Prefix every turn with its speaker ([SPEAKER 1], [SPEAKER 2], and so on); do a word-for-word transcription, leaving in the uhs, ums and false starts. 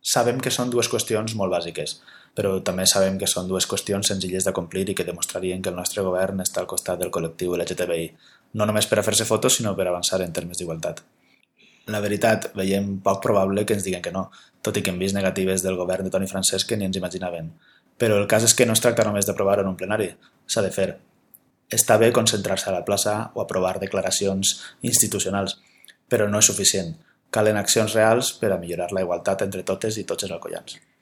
[SPEAKER 1] Sabem que són dues qüestions molt bàsiques, però també sabem que són dues qüestions senzilles de complir i que demostrarien que el nostre govern està al costat del col·lectiu L G T B I, no només per a fer-se fotos, sinó per avançar en termes d'igualtat. La veritat, veiem poc probable que ens diguen que no, tot i que hem vist negatives del govern de Toni Francesc que ni ens imaginaven. Però el cas és que no es tracta només d'aprovar-ho en un plenari, s'ha de fer. Està bé concentrar-se a la plaça o aprovar declaracions institucionals, però no és suficient. Calen accions reals per a millorar la igualtat entre totes i tots els alcoians.